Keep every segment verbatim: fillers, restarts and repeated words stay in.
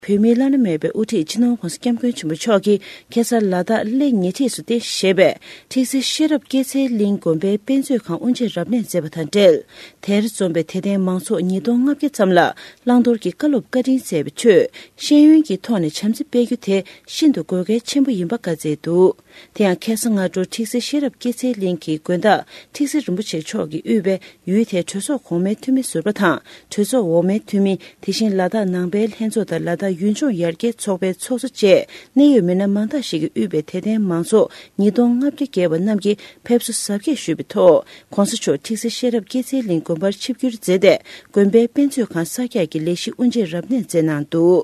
བོད་མིའི་བླ་ན་མེད་པའི་དབུ་ཁྲིད་སྤྱི་ནོར་༸གོང་ས་༸སྐྱབས་མགོན་ཆེན་པོ་མཆོག་གིས་ཁ་སང་ལ་དྭགས་གླེ་ཉེ་འཁྲིས་སུ་རྟེན་གཞི་བྱས་པའི་ཁྲིག་སེ་ཤེས་རབ་སྐྱེད་ཚལ་གླིང་དགོན་པའི་དཔེ་མཛོད་ཁང་དབུ་འབྱེད་རབ་གནས་མཛད་པ་དང་འབྲེལ། དེར་འཛོམས་པའི་དད་ལྡན་མང་ཚོགས་ཉིས་སྟོང་ལྔ་བརྒྱ་ཙམ་ལ་བླང་དོར་གྱི་བཀའ་སློབ་བཀའ་དྲིན་སྩལ་བའི་ཁྲོད། ཤེས་ཡོན་གྱི་ཐོག་ནས་བྱམས་བརྩེ་སྤེལ་རྒྱུ་དེ་ཤིན་ཏུ་དགོས་གལ་ཆེན་པོ་ཡིན་པ་བཀའ་སྩལ་འདུག། དེ་ཡང་ཁ་སང་སྔ་དྲོ་ཁྲིག་སེ་ཤེས་རབ་སྐྱེད་ཚལ་གླིང་གི་དགོན་བདག་ཁྲིག་སེ་རིན་པོ་ཆེ་མཆོག་གིས་དབུས་པའི་ཡུལ་དེའི་གྲོས་ཚོགས་གོང་མའི་འཐུས་མི་ཟུར་པ་དང་གྲོས་ཚོགས་འོག་མའི་འཐུས་མི། དེ་བཞིན་ལ་དྭགས་ནང་པའི་ལྷན་ཚོགས་དང་ལ་དྭགས་ཡུལ་ལྗོངས་ཡར་རྒྱས་ཚོགས་པའི་ཚོགས་གཙོ་བཅས་གནད་ཡོད་མི་སྣ་མང་དག་ཞིག་གིས་དབུས་པའི་དད་ལྡན་མང་ཚོགས་ཉིས་སྟོང་ལྔ་བརྒྱ་བརྒལ་བ་རྣམས་ཀྱིས་ཕེབས་བསུ་གཟབ་རྒྱས་ཞུས་པའི་ཐོག་༸གོང་ས་མཆོག་ཁྲིག་སེ་ཤེས་རབ་སྐྱེད་ཚལ་གླིང་དགོན་པར་ཆིབས་བསྒྱུར་མཛད་དེ། དགོན་པའི་དཔེ་མཛོད་ཁང་གསར་རྒྱག་གི་ལས་གཞི་དབུ་འབྱེད་རབ་གནས་མཛད་གནང་འདུག།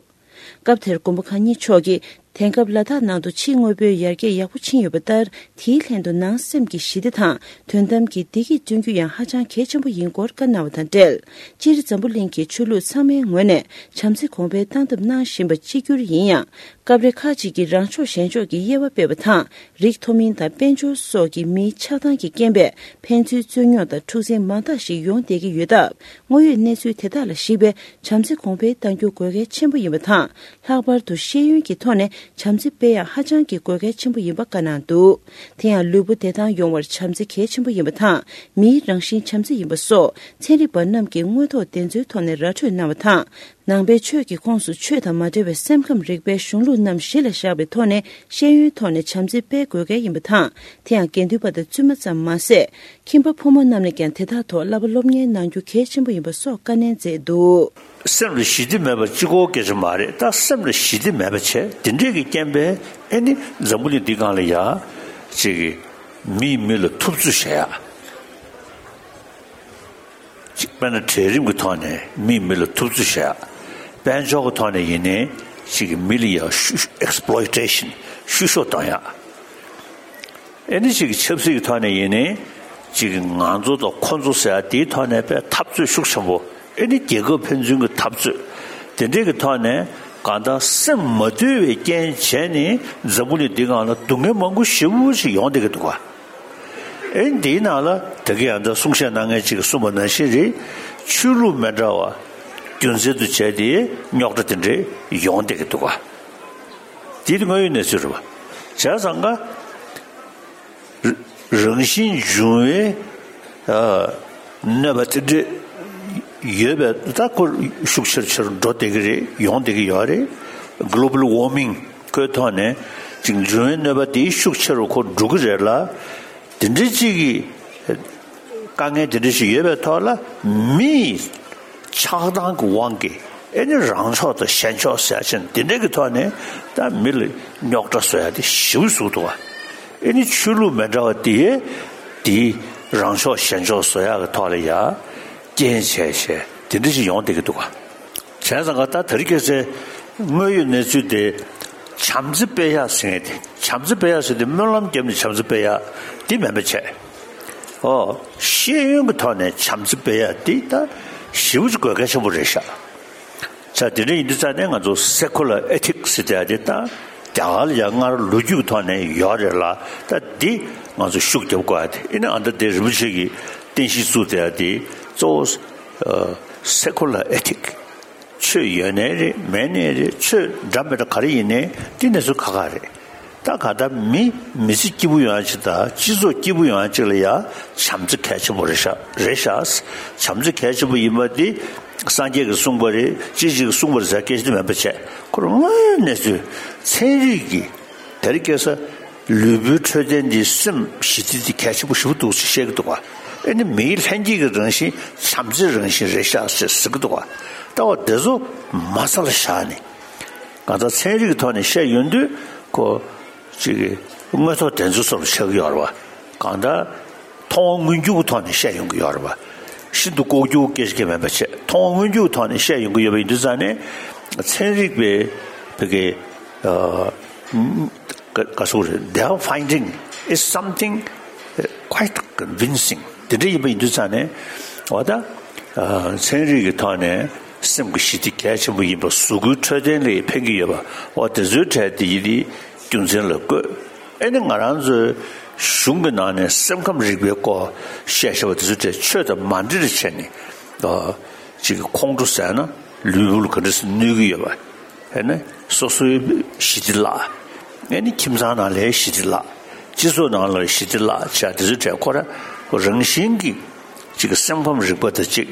སྐབས་དེར་མགོན་པོ་གང་ཉིད་མཆོག་གིས། དེང་སྐབས་ལ་དྭགས་ནང་དུ་ཕྱིའི་དངོས་པོའི་ཡར་རྒྱས་ཡག་པོ་ཕྱིན་ཡོད་པ་ལྟར། དེའི་ལྷན་དུ་ནང་སེམས་ཀྱི་ཞི་བདེ་དང་དོན་དམ་གྱི་བདེ་སྐྱིད་བསྐྲུན་རྒྱུ་ཡང་ཧ་ཅང་གལ་ཆེན་པོ་ཡིན་སྐོར་བཀའ་གནང་བ་དང་འབྲེལ། སྤྱིར་འཛམ་བུ་གླིང་གི་ཆོས་ལུགས་ཚང་མའི་ངོས་ནས་བྱམས་བརྩེ་གོང་འཕེལ་གཏང་ཐབས་གནང་བཞིན་པ་གཅིག་གྱུར་ཡིན་ཡང་། སྐབས་རེ་ཁག་ཅིག་གིས་རང་ཕྱོགས་གཞན་ཕྱོགས་ཀྱི་དབྱེ་བ་སྤེལ་བ་དང་། རིགས་མཐོ་དམན་དང་དཔལ་འབྱོར་སོགས་ཀྱི་མིའི་ཆགས་སྡང་གི་རྐྱེན་པས་ཕན་ཚུན་རྩོད་རྙོག་དང་འཁྲུག་འཛིང་མང་དག་ཞིག་ཡོང་བསྡད་ཀྱི་ཡོད་སྟབས། དངོས་ཡོད་གནས་ཚུལ་དེ་དག་ལ་གཞིགས་པའི་བྱམས་བརྩེ་གོང་འཕེལ་གཏང་རྒྱུ་དགོས་གལ་ཆེན་པོ་ཡིན་པ་དང་། ལྷག་པར་དུ་ཤེས་ཡོན་གྱི་ཐོག་ནས་བྱམས་བརྩེ་སྤེལ་ཡག་ཧ་ཅང་གི་དགོས་གལ་ཆེན་པོ་ཡིན་པ་བཀའ་གནང་འདུག། དེ་ཡང་ལུས་པོ་བདེ་ཐང་ཡོང་བར་བྱམས་བརྩེ་གལ་ཆེན་པོ་ཡིན་པ་དང་། མིའི་རང་བཞིན་བྱམས་བརྩེ་ཡིན་པ་སོགས་ཚན་རིག་པ་རྣམས་ཀྱིས་དངོས་ཐོག་བདེན་འཚོལ་ཐོག་ནས་ར་འཕྲོད་གནང་བ་དང་། ནང་པའི་ཆོས་ཀྱི་ཁོངས་སུ་ཆོས་དང་མ་འབྲེལ་བའི་སེམས་ཁམས་རིག་པའི་གཞུང་ལུགས་རྣམས་གཞི་ལ་བཞག་པའི་ཐོག་ནས་ཤེས་ཡོན་ཐོག་ནས་བྱམས་བརྩེ་སྤེལ་དགོས་གལ་ཡིན་པ་དང་། དེ་ཡང་དགེ་འདུན་པ་དང་བཙུན་མ་ཙམ་མ་ཟད། ཁྱིམ་པ་ཕོ་མོ་རྣམས་ནས་ཀྱང་དེ་དག་ཐོག་བསླབ་པ་སློབ་གཉེར་གནང་རྒྱུ་གལ་ཆེན་པོ་ཡིན་པ་སོགས་བཀའ་ནན་མཛད་འདུག། སེམས་ལ་ཞི་བདེ་མེད་པ་གཅིག་པོ་སྐད་ཆ་མ་རེད། ད་སེམས་ལ་ཞི་བདེ་མེད་པ་བྱས། དེ་འདྲས་ཀྱི་རྐྱེན་པས་ཨེ་ནི་འཛམ་བུ་གླིང་འདི་སྒང་ལ་ཡ་ཅིག་མིས་མི་ལ་ཐུབ་ཚོད་བྱེད་ཡག། གཅིག་དཔེར་ན་གྲལ་རིམ་གྱི་ཐོག་ནས་མིས་མི་ལ་ཐུབ་ཚོད་བྱེད་ཡག། དཔལ་འབྱོར་གྱི་ཐོག་ནས་ཡིན་ནའི་གཅིག་མི་ལ་ཡ་ཤུ་ཤུ་exploitation ཤུ་གཤོག་གཏོང་ཡག། ཨེ་ནི་གཅིག་ཆབ་སྲིད་ཀྱི་ཐོག་ནས་ཡིན་ནའི་གཅིག་ང་ཚོ་དང་ཁོ་ཚོ་ཟེར་ཡག་དེའི་ཐོག་ནས་དཔེ་འཐབ་རྩོད་ཤུགས་ཆེན་པོ། ཨེ་ནི་རྒྱལ་ཁབ་ཕན་ཚུན་གྱི་འཐབ་རྩོད་དེ་འདྲས་ཀྱི་ཐོག་ནས་གང་ལྟར་སེམས་མ་དུལ་བའི་རྐྱེན་བྱས་ནས་འཛམ་བུ་གླིང་འདི་སྒང་ལ་སྡུག་བསྔལ་མང་པོ་ཞེ་པོ་ཅིག་ཡོང་བསྡད་ཀྱི་འདུག་ག། ཨེ་འདིའི་ནང་ལ་ད་གིན་ཡང་ད་གསུང་བཤད་གནང་མཁན་ཅིག་གིས་གསུངས་པ་ནང་བཞིན་རེད། ཆོས་ལུགས་མི་འདྲ་བ་རྒྱུ་མཚན་དུ་བྱས་ཏེ་རྙོག་དྲ་དེ་འདྲས་ཡོང་བསྡད་ཀྱི་འདུག་ག། དེ་དངོས་ཡོད་གནས་ཚུལ་རེད་པ། བྱས་ཙང་ཀ་རང་བཞིན་འབྱུང་བའི་ཨ་གནོད་པ་དེ་འདྲས་ཡོད་པས། ད་ཁོ་ཤུགས་ཆེར་ཆེར་འགྲོ་བསྡད་ཀྱི་རེད། ཡོང་བསྡད་ཀྱི་ཡོད་རེད། Global warming ཁོའི་ཐོག་ནས་ཅིག་འབྱུང་བའི་གནོད་པ་དེ་ཤུགས་ཆེ་རུ་ཁོ་འགྲོ་གི་རེད་ལ། དེ་འདྲའི་ཅིག་གི་དཀའ་ངལ་དེ་འདྲ་ཞིག་ཡོད་པའི་ཐོག་ལ། མིའི་ཆགས་སྡང་གི་དབང་གིས་ཨེ་ནི་རང་ཕྱོགས་དང་གཞན་ཕྱོགས་ཟེར་ཡག་བྱས་ནས་དེ་འདྲ་གི་ཐོག་ནས་ད་མི་ལ་རྙོག་དྲ་བཟོ་ཡག་དེ་ཞེ་པོ་བཟོ་འདུག་ག། ཨེ་ནི་ཆོས་ལུགས་མི་འདྲ་བ་དེ་དེའི་རང་ཕྱོགས་གཞན་ཕྱོགས་བཟོ་ཡག་གི་ཐོག་ལ་ཡ་རྐྱེན་བྱས་བྱས་དེ་འདྲ་ཞིག་ཡོང་བསྡད་ཀྱི་འདུག་ག། བྱས་ཙང་ཀ་ད་དེ་རིང་ཁ་སང་དངོས་ཡོད་གནས་ཚུལ་དེ་བྱམས་བརྩེ་སྤེལ་ཡག་ཟེར་མཁན་དེ། བྱམས་བརྩེ་སྤེལ་ཡག་ཟེར་དེ་སྨོན་ལམ་བརྒྱབ་ནས་བྱམས་བརྩེ་སྤེལ་ཡག་དེ་མིན་པ་བྱས། ཨོ། ཤེས་ཡོན་གྱི་ཐོག་ནས་བྱམས་བརྩེ་སྤེལ་ཡག་དེ་ད་ཞེ་པོ་ཅིག་དགོས་གལ་ཆེན་པོ་རེད་ཤག། ས་དེ་འདྲ་ཡིན་དུས་ཙང་ནས་ང་ཚོ་secular ethics ཟེར་དེ་ད་རྒྱ་གར་ལ་ཡང་སྔར་ལོ་རྒྱུས་ཀྱི་ཐོག་ནས་ཡོད་རེད་ལ། ད་འདི་ང་ཚོ་ཤུགས་རྒྱབ་དགོས་ཡག་དེ། ཨེ་ནི་ཨ་ད་དེ་རིན་པོ་ཆེ་གིས་རྟེན་གཞི་བཙུགས་བསྡད་ཡག་དེ་གཙོ་བོ་ཨ་secular ethic ཆོས་ཡོད་ནའི་རེད། མེད་ནའི་རེད། ཆོས་འདྲ་མི་འདྲ་ག་རེ་ཡིན་ནའི་དེ་གནས་ཚུལ་ཁག་ཁག་རེད། ད་གང་ལྟར་མི་མི་ཚེ་སྐྱིད་པོ་ཡོང་ཡག་ཅིག་དང་སྤྱི་ཚོགས་སྐྱིད་པོ་ཡོང་ཡག་ཅིག་ལ་ཡ་བྱམས་བརྩེ་གལ་ཆེན་པོ་རེད་ཤག། རེད་ཤག། བྱམས་བརྩེ་གལ་ཆེན་པོ་ཡིན་པ་དེ་སངས་རྒྱས་ཀྱིས་གསུངས་པ་རེད། ཅི་ཞིག་གིས་གསུངས་པ་རེད་ཟེར་སྐད་ཆ་དེ་མིན་པ་བྱས། ཁོ་རང་དངོས་ཡོད་གནས་ཚུལ་ཚན་རིག་གིས་དེ་རིང་ཁ་སང་ལུས་པོའི་འཕྲོད་བསྟེན་འདི་སེམས་ཞི་བདེ་འདི་གལ་ཆེན་པོ་ཞེ་པོ་འདུག་ཅེས་བཤད་ཀྱི་འདུག་ག། ཨེ་ནི་མིའི་ལྷན་སྐྱེས་ཀྱི་རང་བཞིན་བྱམས་བརྩེའི་རང་བཞིན་རེད་ཤག་ཅེས་ཟེར་གྱི་འདུག་ག། ལྟ་བ་འདི་ཚོ་མ་རྩ་ལ་བཞག་ནས་གང་ལྟར་ཚན་རིག་གི་ཐོག་ནས་བཤད་ཡོང་དུས་ཁོ་ཅིག་དངོས་ཐོག་དེ་ཚོ་སོར་ཆགས་ཀྱི་ཡོད་རེད་བ། གང་ལྟར་མཐོང་བ་མངོན་གྱུར་གྱི་ཐོག་ནས་བཤད་ཡོང་གི་ཡོད་རེད་བ། ཤིན་ཏུ་ལྐོག་གྱུར་སྐད་ཆ་གང་མིན་པ་བྱས། མཐོང་བ་མངོན་གྱུར་གྱི་ཐོག་ནས་བཤད་ཡོང་གི་ཡོད་པ་ཡིན་དུས་ཙང་ནས་ཚན་རིག་པའི་བོད་ཀྱི་ཨ། ག་ག་སོགས་རེད། Their finding is something quite convincing. དེ་འདྲ་ཡིན་པ་ཡིན་དུས་ཙང་ནས་འོ་ད་ཨ་ཚན་རིག་གི་ཐོག་ནས་སེམས་ཀྱི་ཞི་བདེ་གལ་ཆེན་པོ་ཡིན་པ། གཟུགས་པོའི་འཕྲོད་བསྟེན་ལ་ཕན་གྱི་ཡོད་པ། འོ་དེ་ཚོའི་གྲས་དེ་ཡིན་དེ་རྒྱུ་མཚན་ལ་བཀོད། ཨེ་ནི་ང་རང་ཚོའི་གཞུང་གི་ནང་ནས་སེམས་ཁམས་རིག་པའི་སྐོར་བཤད་བཞག་པ་དེ་ཚོའི་གྲས་ཆོས་དང་མ་འདྲེས་པ་བྱས་ནས་ཨ་ཅིག་ཁོང་ཁྲོ་ཟ་ན་ལུས་པོ་ལ་ག་འདྲ་སེ་གནོད་ཀྱི་ཡོད་པ། ཨེ་ནི་སོ་སོའི་ཞི་བདེ་བརླག་ཨེ་ནི་ཁྱིམ་ཚང་ནང་ལའི་ཞི་བདེ་བརླག་སྤྱི་ཚོགས་ནང་ལ་ཞི་བདེ་བརླག་བྱས་དེ་ཚོའི་གྲས་ཁོ་རང་རང་བཞིན་གྱིས་ཅིག་སེམས་ཁམས་རིག་པ་དང་གཅིག་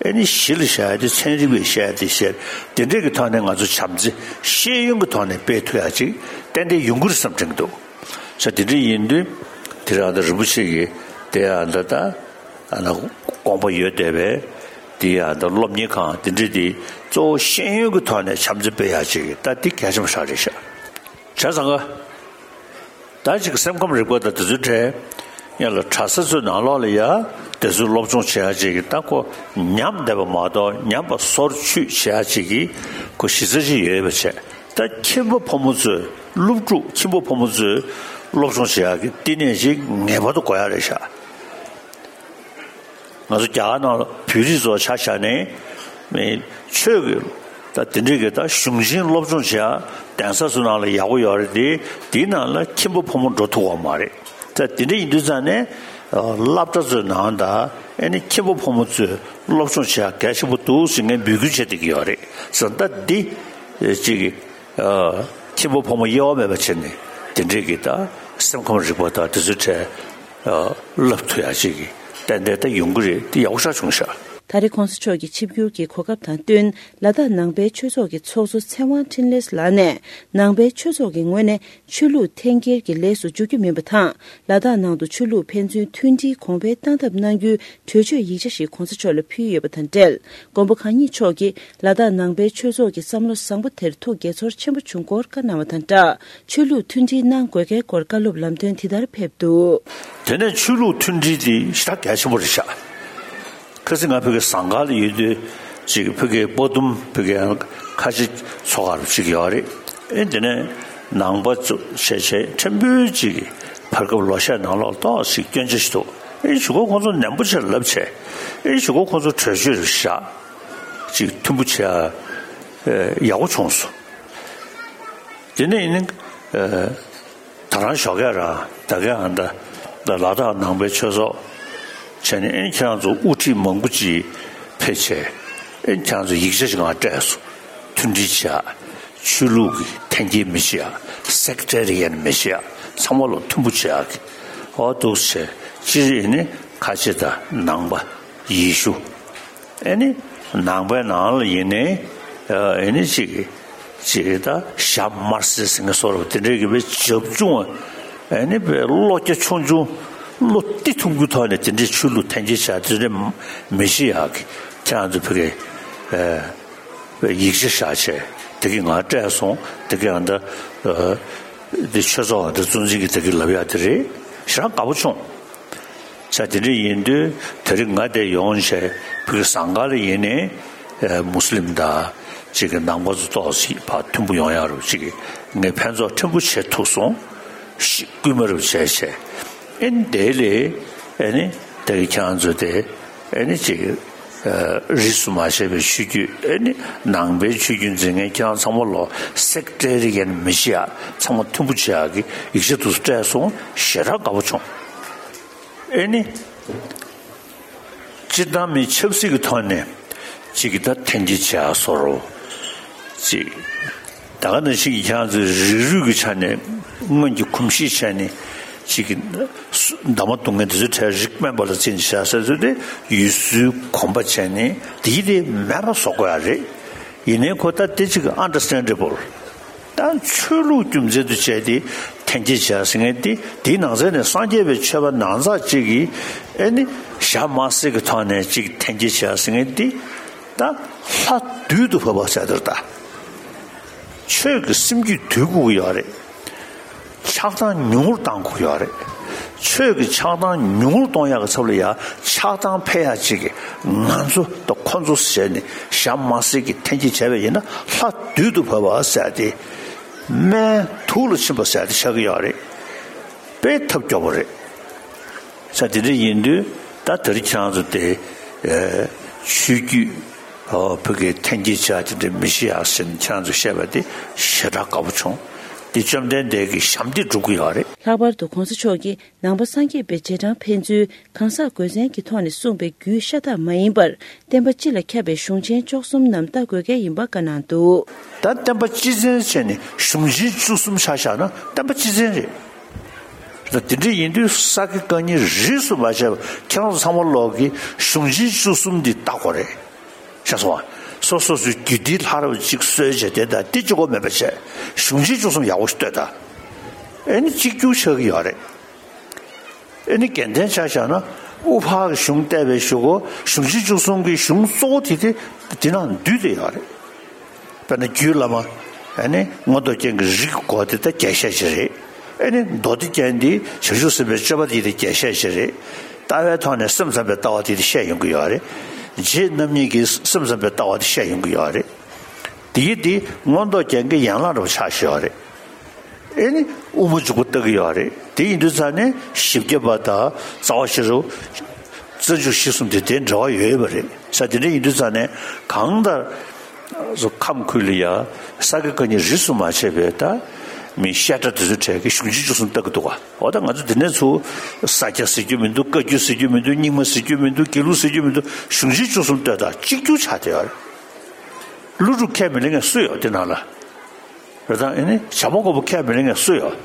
ཨེ་ནི་གཞི་ལ་བཞག་ཡ་དེ་ཚན་རིག་པས་བཤད་ཡ་དེ་བཤད་དེ་འདྲས་ཀྱི་ཐོག་ནས་ང་ཚོ་བྱམས་བརྩེ་ཤེས་ཡོན་གྱི་ཐོག་ནས་སྤེལ་ཐུབ་ཡ་ཅིག་ཏན་ཏན་ཡོང་གི་རེད་བསམ་དྲན་གྱི་འདུག་ས་དེ་འདྲ་ཡིན་དུས་དེ་རང་ད་རིན་པོ་ཆེ་གིས་དེ་ཡང་ད་ལྟ་ཨ་ན་དགོངས་པ་ཡོད་བསྡད་པས་དེ་ཡང་ད་སློབ་གཉེར་ཁང་དེ་འདྲ་དེ་གཙོ་བོ་ཤེས་ཡོན་གྱི་ཐོག་ནས་བྱམས་བརྩེ་སྤེལ་ཡག་ཅིག་ད་དེ་གལ་ཆེན་པོ་ཞིག་རེད་ཤག་བྱས་ཙང་ཀ་ད་ཅིག་སེམས་ཁམས་རིག་པ་དང་དེ་ཚོའི་གྲས་ཡང་ལ་གྲྭ་ས་ཚོའི་ནང་ལོགས་ལ་ཡ་དེ་ཚོའི་སློབ་སྦྱོང་བྱེད་ཡག་ཅིག་གི་ད་ཁོ་ཉམས་བསྡད་པ་མ་གཏོགས་ཉམས་པ་སོར་ཆུད་བྱེད་ཡག་ཅིག་གི་ཁོ་གཞི་རྩ་ཅིག་ཡོད་པ་བྱས། ད་ཁྱིམ་པ་ཕོ་མོ་ཚོས་སློབ་ཕྲུག་ཁྱིམ་པ་ཕོ་མོ་ཚོས་སློབ་སྦྱོང་བྱེད་ཡག་གི་བསྟི་གནས་ཤིག་ངེས་པར་དུ་དགོས་ཡག་རེད་ཤག་ང་ཚོ་རྒྱ་གར་ནང་ལ་བོད་རིགས་ཚོ་ཆ་བཞག་ནས་མི་ཆོས་ཀྱི་ད་དེ་འདྲའི་གི་ད་གཞུང་ཆེན་སློབ་སྦྱོང་བྱེད་ཡག་གདན་ས་ཚོ་ནང་ལ་ཡག་པོ་ཡོད་རེད་དེ་དེའི་ནང་ལ་ཁྱིམ་པ་ཕོ་མོ་འགྲོ་ཐུབ་པ་མ་རེད། ད་དེ་འདྲ་ཡིན་དུས་ཙང་ནས་སློབ་གྲྭ་ཚོའི་ནང་ད་ཨེ་ནི་ཁྱིམ་པ་ཕོ་མོ་ཚོས་སློབ་སྦྱོང་བྱེད་ཡག་གལ་ཆེན་པོ་འདུག་ཟེར་ངས་འབོད་སྐུལ་བྱེད་བསྡད་ཀྱི་ཡོད་རེད་ཟེར། ད་འདི་ཅིག་ཁྱིམ་པ་ཕོ་མོ་དབྱེ་བ་མེད་པ་བྱས་ནས་དེ་འདྲས་ཀྱི་ད་སེམས་ཁམས་རིག་པ་དང་དེ་ཚོའི་གྲས་བསླབ་ཐུབ་ཡག་ཅིག་གི་ཏན་ཏན་ད་ཡོང་གི་རེད། དེ་ཡག་པོ་ཞེ་དྲག་བྱུང་ཤག་ད་རེས་གོང་ས་མཆོག་གི་ཆིབས་བསྒྱུར་གྱི་གོ་སྐབས་དང་བསྟུན་ལ་དྭགས་ནང་པའི་ཆོས་ཚོགས་ཀྱི་ཚོགས་གཙོ་ཚེ་དབང་འཕྲིན་ལས་ལགས་ནས་ནང་པའི་ཆོས་ཚོགས་ཀྱི་ངོས་ནས་ཆོས་ལུགས་འཐེན་འཁྱེར་གྱི་ལས་སུ་འཇུག་རྒྱུ་མིན་པ་དང་། ལ་དྭགས་ནང་དུ་ཆོས་ལུགས་ཕན་ཚུན་མཐུན་སྒྲིལ་གོང་འཕེལ་གཏང་ཐབས་གནང་རྒྱུའི་གྲོས་ཆོད་ཡིག་ཆ་ཞིག་གོང་ས་མཆོག་ལ་ཕུལ་ཡོད་པ་དང་འབྲེལ། མགོན་པོ་གང་ཉིད་མཆོག་གིས་ལ་དྭགས་ནང་པའི་ཆོས་ཚོགས་ཀྱི་བསམ་བློ་བཟང་པོ་དེར་ཐུགས་དགྱེས་ཚོར་ཆེན་པོ་བྱུང་སྐོར་བཀའ་གནང་བ་དང་སྦྲགས། ཆོས་ལུགས་མཐུན་སྒྲིལ་གནང་དགོས་གལ་སྐོར་བཀའ་སློབ་ལམ་སྟོན་དེ་ལྟར་ཕེབས་འདུག་དེ་ནས་ཆོས་ལུགས་མཐུན་སྒྲིལ་དེ་ཞེ་དྲག་གལ་ཆེན་པོ་རེད་ཤག་ཁ་སང་ང་ཕ་གི་ཟངས་དཀར་ལ་ཡོད་དུས་ཅིག་ཕ་གི་པོ་ཏུམ་ཕ་གི་ཁ་ཆེ་ཚོ་ག་རུ་ཅིག་ཡོད་རེད། ཨེ་དེ་ནས་ནང་པ་ཚོ་བྱས་བྱས་ཕྲན་བུ་ཅིག་གི་བར་སྐབས་ལོ་ཤས་ནང་ལོགས་ཏོག་ཅིག་སྐྱོན་ཆ་ཞིག་འདུག་ཨེ་གཞུག་གུ་ཁོང་ཚོ་ནན་པོ་བྱས་ལབ་བྱས་ཨེ་གཞུག་གུ་ཁོང་ཚོ་གྲོས་ཆོད་རེ་བཞག་ཅིག་མཐུན་པོ་བྱས་ཨེ་ཡག་པོ་བྱུང་སོང་། དེ་ནས་ཡིན་ན་ཨེ། ད་རང་ཞོགས་ཀས་རང་ད་ག་ཨ་ད་ད་ལ་དྭགས་ནང་པའི་ཆོས་ཚོགས་བྱས་ནས་ཨེ་ཁྱེད་རང་ཚོ་དབུ་ཁྲིད་མང་པོ་ཅིག་ཕེབས་བྱས་ཨེ་ཁྱེད་རང་ཚོ་ཡིག་ཆ་ཞིག་ང་སྤྲད་སོང་། མཐུན་སྒྲིལ་བྱེད་ཡ། ཆོས་ལུགས་ཀྱི་འཐེན་འཁྱེར་མི་བྱེད་ཡ། སེག་ཊེ་རི་ཡན་མི་བྱེད་ཡ། ཚང་མ་ལ་མཐུན་པོ་བྱེད་ཡ་གི་འོ་འདུག་བྱས་སྤྱིར་ཨེ་ནི་ཁ་ཆེ་དང་ནང་པ་ཡེ་ཤུ། ཨེ་ནི་ནང་པའི་ནང་ལ་ཡིན་ནའི་ཨེ་ནི་ཅིག་ཅིག་ད་ཞྭ་དམར་སེར་ཟེར་མཁན་བཟོ་འདྲ་དེ་འདྲའི་གི་བའི་བྱབ་ཆུང་ཨེ་ནི་བའི་བློ་རྒྱ་ཆུང་ཆུང་བློ་གཏི་ཐུང་གི་ཐོག་ནས་དེ་འདྲའི་ཆོས་ལུགས་འཐེན་འཁྱེར་བྱ་དེ་འདྲ་མི་བྱེད་ཡག་གི་ཁྱེད་རང་ཚོ་ཕ་གི་ཨེ་ཡིག་ཆ་བཞག་བྱས་དེ་གི་ང་སྤྲད་སོང་། དེ་གི་ཨ་ད་ཨེ་འདི་ཆོས་ཚོགས་ཨ་ད་གཙོ་འཛིན་གི་དེ་གི་ལབ་ཡག་དེ་རེད། ཞེ་དྲག་དགའ་པོ་བྱུང་། ས་དེ་འདྲ་ཡིན་དུས་དེ་རིང་ང་དེ་ཡོང་བྱས་ཕ་གི་ཟངས་དཀར་ལ་ཡིན་ནའི་ཨེ་མུ་སི་ལིམ་དང་ཅིག་གི་ནང་པ་ཚོ་ཏོག་ཙམ་ཕར་མཐུན་པོ་ཡོང་ཡག་རུ་ཅིག་གི་ངས་ཕན་ཚོགས་ཕྲན་བུ་བྱེད་ཐུབ་སོང་། ཤི་སྐུལ་མ་རུ་བྱས་བྱས་ཨེ་ནི་དེ་ལས་ཨེ་ནི་དེ་གི་ཁྱེད་རང་ཚོ་དེ་ཨེ་ནི་ཅིག་གི་ཨེ་རིས་སུ་མ་ཆད་པའི་ཆོས་བརྒྱུད་ཨེ་ནི་ནང་པའི་ཆོས་བརྒྱུད་འཛིན་མཁན་ཁྱེད་རང་ཚང་མ་ལོ་སེག་ཊེ་རི་ཡན་མི་བྱེད་ཡག་ཚང་མ་མཐུན་པོ་བྱེད་ཡག་གི་ཡིག་ཆ་དེ་ཚོ་སྤྲད་སོང་། ཞེ་དྲག་དགའ་པོ་བྱུང་། ཨེ་ནི། སྤྱིར་བཏང་མི་ཆབ་སྲིད་ཀྱི་ཐོག་ནས་ཅིག་གི་ད་འཐེན་འཁྱེར་བྱེད་ཡག་བཟོ་འདྲ། ཅིག་ད་ག་ནང་བཞིན་གྱི་ཁྱེད་རང་ཚོའི་རིགས་རུས་ཀྱི་ཆ་ནས་སྔོན་གྱི་གོམས་གཤིས་བྱས་ནས་ཅིག་གི་འདབ་མ་རྡུང་མཁན་དེ་ཚོའི་གྲས་རིགས་དམན་པ་ལ་བརྩིས་ནས་བྱ་ཟེར་ཚུལ་དེ་ཡུལ་སྲོལ་གོམས་པ་བྱས་ནས་དེ་ཡི་དེ་མེད་པ་བཟོ་དགོས་ཡག་རེད། ཡིན་ནའི་ཁོ་ད་དེ་ཅིག་understandable། ད་ཆོས་ལུགས་རྒྱུ་མཚན་དུ་བྱས་ཏེ་འཐེན་འཁྱེར་བྱས་ཟེར་མཁན་དེ་དེའི་ནང་ཚན་ནས་སངས་རྒྱས་པའི་ཆོས་པ་ནང་ཚགས་གཅིག་གིས་ཨེ་ནི་ཞྭ་དམར་སེར་གྱི་ཐོག་ནས་ཅིག་འཐེན་འཁྱེར་བྱས་ཟེར་མཁན་དེ་ད་ལྷ་བདུད་དུ་བབས་པ་ཟེར་དེར་ད་ཆོས་ཀྱི་སེམས་རྒྱུད་འདུལ་དགོས་ཀྱི་ཡོད་རེད། ཆགས་སྡང་ཉུང་རུ་གཏང་དགོས་ཡོད་རེད། ཆོས་ཀྱི་ཆགས་སྡང་ཉུང་རུ་གཏོང་ཡག་གི་ཚབ་ལ་ཡང་ཆགས་སྡང་འཕེལ་ཡག་ཅིག་གི་ང་ཚོ་དང་ཁོ་ཚོ་ཟེར་ནས་ཞྭ་དམར་སེར་གྱི་འཐེན་འཁྱེར་བྱས་པ་ཡིན་ན་ལྷ་བདུད་དུ་བབས་པ་ཟེར་ཏེ་སྨན་དུག་ལ་ཕྱིན་པ་ཟེར་ཏེ་ཆགས་ཀྱི་ཡོད་རེད། དཔེ་ཐབས་སྐྱོ་པོ་རེད། ས་དེ་འདྲ་ཡིན་དུས་ད་དེ་རིང་ཁྱེད་རང་ཚོ་དེ་ཆོས་བརྒྱུད་ཨོ་བོད་ཀྱི་འཐེན་འཁྱེར་བྱ་དེ་འདྲ་མི་ཤེས་ཡག་ཟེར་ནས་ཁྱེད་རང་ཚོ་བཤད་པ་དེ་ཞེ་དྲག་དགའ་པོ་བྱུང་ འདི་བཅོམ་ལྡན་འདས་ཀྱི་ཞབས་འདེགས་སྒྲུབ་ཀྱི་ཡོད་རེད། ལྷག་པར་དུ་གོང་ས་མཆོག་གིས་ནང་པ་སངས་རྒྱས་པའི་རྗེས་འབྲང་ཕན་ཚུན་གང་ཟག་དགོས་མཚན་གྱི་ཐོག་ནས་གསུངས་པའི་རྒྱུད་ཤ་སྟག་མ་ཡིན་པར། བསྟན་པ་སྤྱི་ལ་ཁྱབ་པའི་གཞུང་ཆེན་བཅུ་གསུམ་རྣམས་ལྟ་དགོས་གལ་ཡིན་པ་བཀའ་གནང་འདུག། ད་བསྟན་པ་སྤྱི་ཆེན་བྱས་ནས་གཞུང་ཆེན་བཅུ་གསུམ་ཆ་བཞག་ན་བསྟན་པ་སྤྱི་ཆེན་རེད། ད་དེ་འདྲ་ཡིན་དུས་ས་དགེ་བཀའ་རྙིང་རིས་སུ་མ་ཆད་པ་ཁྱེད་རང་ཚོ་ཚང་མ་ལོག་གིས་གཞུང་ཆེན་བཅུ་གསུམ་འདི་ལྟ་དགོས་རེད། ཤེས་སོང་ང་། སོ་སོ་སོའི་རྒྱུད་སྡེ་ལྷ་རབ་གཅིག་སྲོལ་བྱས་དེ་དང་དེ་གཅིག་པོ་མེད་པ་བྱས། གཞུང་ཆེན་བཅུ་གསུམ་ཡག་པོ་ཞིག་ལྟོས་དང་། ཨེ་ནི་གཅིག་གྱུར་ཆགས་ཀྱི་ཡོད་རེད། ཨེ་ནི་རྒྱལ་བསྟན་ཆ་བཞག་ན་དབུ་ཕར་གྱི་གཞུང་བལྟས་པའི་གཞུག་གུ་གཞུང་ཆེན་བཅུ་གསུམ་གྱི་གཞུང་གཙོ་བོ་དེ་དེ་དེ་ནང་འདུས་ཏེ་ཡོད་རེད། དཔེར་ན་རྒྱུད་བླ་མ་ཨེ་ནི་མངོན་རྟོགས་རྒྱན་གྱི་རིགས་སྐོར་དེ་ད་རྒྱས་བཤད་ཅིག་རེད། ཨེ་ནི་མདོ་སྡེ་རྒྱན་འདི་བྱང་ཆུབ་སེམས་དཔའི་སྤྱོད་པ་དེ་དེ་རྒྱས་བཤད་ཅིག་རེད། ལྟ་བའི་ཐོག་ནས་སེམས་ཙམ་པའི་ལྟ་བ་དེ་དེ་བཤད་ཡོང་གི་ཡོད་རེད། རྗེ་རྣམ་གཉིས་ཀྱིས་སེམས་ཙམ་པའི་ལྟ་བ་དེ་བཤད་ཡོང་གི་ཡོད་རེད། དེ་ཡི་དེ་མངོན་རྟོགས་རྒྱན་གྱི་ཡན་ལག་འདྲ་བོ་ཆགས་བཞག་ཡོད་རེད། ཨེ་ནི་དབུ་མ་འཇུག་པ་ལྟ་གི་ཡོད་རེད། དེ་ཡིན་དུས་ཙང་ནས་བཞི་བརྒྱ་པ་དང་རྩ་བ་ཤེས་རབ། རྩ་འཇུག་གཞི་གསུམ་དེ་དེ་འབྲེལ་བ་ཡོད་ཡོད་པ་རེད། ས་དེ་འདྲ་ཡིན་དུས་ཙང་ནས་གང་ལྟར་ཁམས་ཁུལ་ལ་ཡ་ས་དགེ་བཀའ་རྙིང་རིས་སུ་མ་ཆད་པའི་ད་མི་བཤད་གྲྭ་དེ་ཚོའི་གྲས་ཀྱི་གཞུང་ཆེན་བཅུ་གསུམ་ལྟ་གི་འདུག་ག་འོ་ད་ང་ཚོ་དེ་ནས་ཚུར་ས་སྐྱ་ཟེར་རྒྱུ་མི་འདུག། བཀའ་བརྒྱུད་ཟེར་རྒྱུ་མི་འདུག། རྙིང་མ་ཟེར་རྒྱུ་མི་འདུག། དགེ་ལུགས་ཟེར་རྒྱུ་མི་འདུག། གཞུང་ཆེན་བཅུ་གསུམ་ལྟོས་དང་གཅིག་གྱུར་ཆགས་བསྡད་ཡོད་རེད། ཀླུ་སྒྲུབ་ཁས་མི་ལེན་མཁན་སུ་ཡོད་དེ་ནང་ལ། རེད་དང་ཨེ་ནི་བྱ་མ་བཀོད་པ་ཁས་མི་ལེན་མཁན་སུ་ཡོད།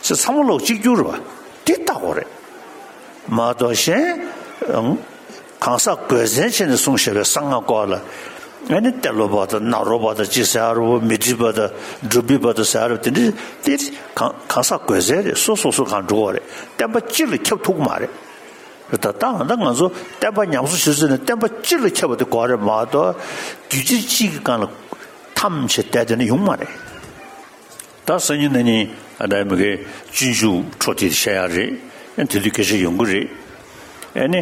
ཚེ་ཚང་མ་ལོག་གཅིག་གྱུར་རེད་བ། དེ་ལྟ་དགོས་རེད། མ་གཏོགས་གཞན། གང་ཟག་དགོས་མཚན་བྱས་ནས་གསུངས་བཞག་པའི་གསང་སྔགས་སྐོར་ལ། ཨེ་ནི་ཏེ་ལོ་པ་དང་ནཱ་རོ་པ་དང་ཅི་ཟེར་རོ་མི་ཏྲི་པ་དང་འབྲུག་པི་པ་དང་ཟེར་རོ་དེ་འདྲ་དེ་གང་གང་ཟག་དགོས་མཚན་རེད། སོ་སོ་སོ་གང་འགྲོ་བ་རེད། བསྟན་པ་སྤྱི་ལ་ཁྱབ་ཐུབ་ཀྱི་མ་རེད། ད་ལྟ་ང་ཚོ་བསྟན་པ་ཉམས་གསོ་བྱེད་ཚུལ་ནི་བསྟན་པ་སྤྱི་ལ་ཁྱབ་པ་དེ་དགོས་རེད་མ་གཏོགས་རྒྱུད་སྤྱི་གཅིག་གི་སྒང་ལ་ཐམས་ཅད་བསྡད་དེ་ནི་ཡོང་མ་རེད། ད་སང་ཉིན་གནངས་ཉིན་ཨ་ད་མི་གའི་སྤྱོད་འཇུག་འཕྲོ་དེ་བཤད་ཡ་རེད། ཨ་དེ་དུས་སྐད་ཆ་ཡོང་གི་རེད། ཨ་ནི་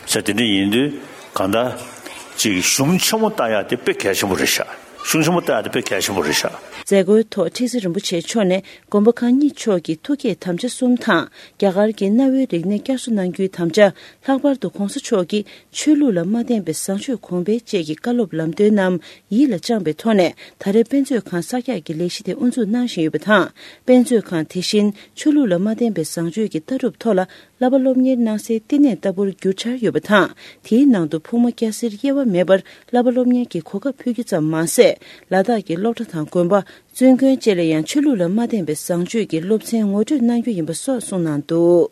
ས་དེ་འདྲ་ཡིན་དུས་གང་ལྟར་ཅིག་གཞུང་ཆེན་མོ་ལྟ་ཡ་དེ་དཔེ་གལ་ཆེན་པོ་རེད་ཤག། གཞུང་ཆེན་མོ་ལྟ་ཡ་དེ་དཔེ་གལ་ཆེན་པོ་རེད་ཤག། མཛད་སྒོའི་ཐོག་ཁྲི་ཟུར་རིན་པོ་ཆེ་མཆོག་ནས་མགོན་པོ་གང་ཉིད་མཆོག་གི་ཐུགས་བསྐྱེད་དམ་བཅའ་གསུམ་དང་རྒྱ་གར་གྱི་གནའ་བོའི་རིག་གནས་བསྐྱར་གསོ་གནང་རྒྱུའི་དམ་བཅའ། ལྷག་པར་དུ་གོང་ས་མཆོག་གིས་ཆོས་ལུགས་ལ་མ་བརྟེན་པའི་བཟང་སྤྱོད་གོང་འཕེལ་བཅས་ཀྱི་བཀའ་སློབ་ལམ་སྟོན་རྣམས་ཡིད་ལ་བཅངས་པའི་ཐོག་ནས་ད་རེས་དཔེ་མཛོད་ཁང་གསར་རྒྱག་གི་ལས་གཞི་དེ་དབུ་འཛུགས་གནང་བཞིན་ཡོད་པ་དང་། དཔེ་མཛོད་ཁང་དེ་བཞིན་ཆོས་ལུགས་ལ་མ་བརྟེན་པའི་བཟང་སྤྱོད་ཀྱི་ལྟ་གྲུབ་ཐོག་ལ་བསླབ་པ་སློབ་གཉེར་གནང་སའི་བསྟི་གནས་ལྟ་བུར་འགྱུར་འཆར་ཡོད་པ་དང་། དེའི་ནང་དུ་ཕུང་པོ་སྐྱ་སེར་དབྱེ་བ་མེད་པར་བསླབ་པ་སློབ་གཉེར་གྱི་གོ་སྐབས་ཕུལ་རྒྱུ་ཙམ་མ་ཟད། ལ་དྭགས་ཀྱི་སློབ་གྲྭ་དང་དགོན་པ། བཙུན་དགོན་བཅས་ལ་ཡང་ཆོས་ལུགས་ལ་མ་བརྟེན་པའི་བཟང་སྤྱོད་ཀྱི་སློབ་ཚན་ངོ་སྤྲོད་གནང་རྒྱུ་ཡིན་པ་སོགས་གསུངས་གནང་འདུག།